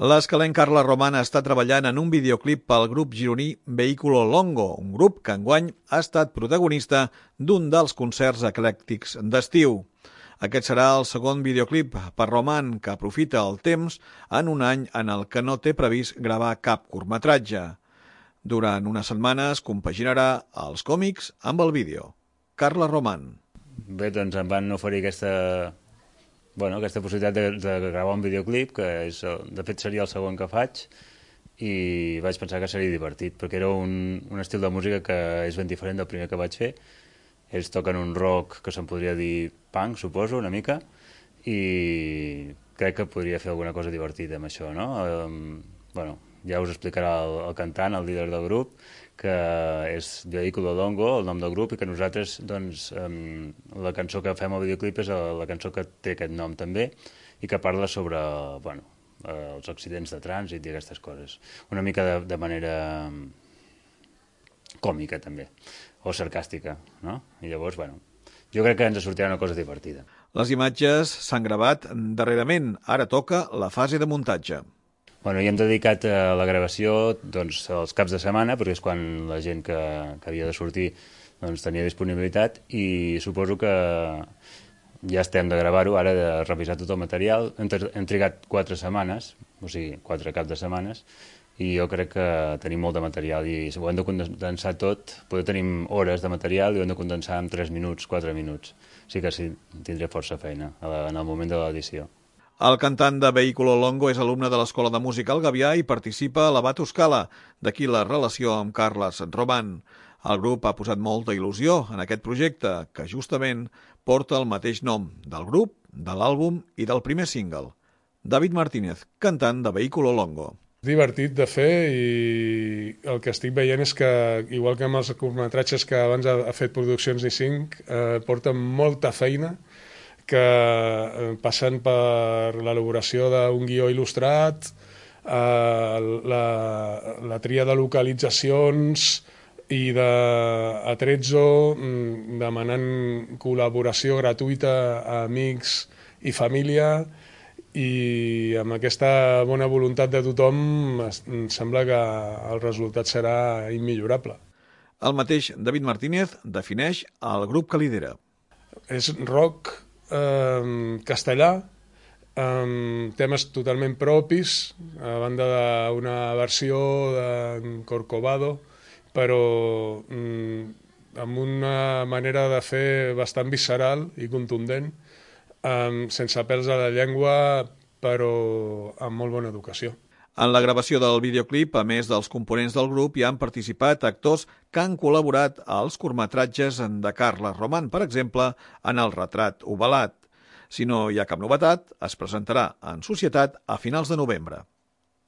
L'escalent Carla Román està treballant en un videoclip pel grup gironí Vehículo Longo, un grup que enguany ha estat protagonista d'un dels concerts eclèctics d'estiu. Aquest serà el segon videoclip per Román, que aprofita el temps en un any en el que no té previst gravar cap curtmetratge. Durant unes setmanes compaginarà els còmics amb el vídeo. Carla Román. Bé, doncs em van oferir aquesta possibilitat de gravar un videoclip, que de fet seria el segon que faig, i vaig pensar que seria divertit, perquè era un estil de música que és ben diferent del primer que vaig fer. Ells toquen un rock que se'n podria dir punk, suposo, una mica, i crec que podria fer alguna cosa divertida amb això, no? Ja us explicarà el cantant, el líder del grup, que és Vehículo Longo, el nom del grup, i que nosaltres, doncs, la cançó que fem al videoclip és la cançó que té aquest nom també, i que parla sobre, els accidents de trànsit i aquestes coses. Una mica de manera còmica, també, o sarcàstica, no? I llavors, jo crec que ens sortirà una cosa divertida. Les imatges s'han gravat darrerament, ara toca la fase de muntatge. I hem dedicat a la gravació els caps de setmana, perquè és quan la gent que havia de sortir tenia disponibilitat, i suposo que ja estem de gravar-ho, ara de revisar tot el material. Hem trigat 4 setmanes, o sigui, 4 caps de setmanes, i jo crec que tenim molt de material, i si ho hem de condensar tot, potser tenim hores de material i ho hem de condensar en 3 minuts, 4 minuts. Sí que sí, tindré força feina en el moment de l'edició. El cantant de Vehículo Longo és alumne de l'Escola de Música al Gavià i participa a la Batuscala, d'aquí la relació amb Carles Román. El grup ha posat molta il·lusió en aquest projecte, que justament porta el mateix nom del grup, de l'àlbum i del primer single. David Martínez, cantant de Vehículo Longo. Divertit de fer, i el que estic veient és que, igual que amb els curtmetratges que abans ha fet Produccions Ni5, porta molta feina, que passant per l'elaboració d'un guió il·lustrat, la tria de localitzacions i d'Atrezzo, demanant col·laboració gratuïta a amics i família, i amb aquesta bona voluntat de tothom em sembla que el resultat serà immillorable. El mateix David Martínez defineix el grup que lidera. És rock castellà, amb temes totalment propis, a banda d'una versió de Corcovado, però amb una manera de fer bastant visceral i contundent, sense pèls a la llengua, però amb molt bona educació. En la gravació del videoclip, a més dels components del grup, hi han participat actors que han col·laborat als curtmetratges de Carla Román, per exemple, en El retrat ovalat. Si no hi ha cap novetat, es presentarà en societat a finals de novembre.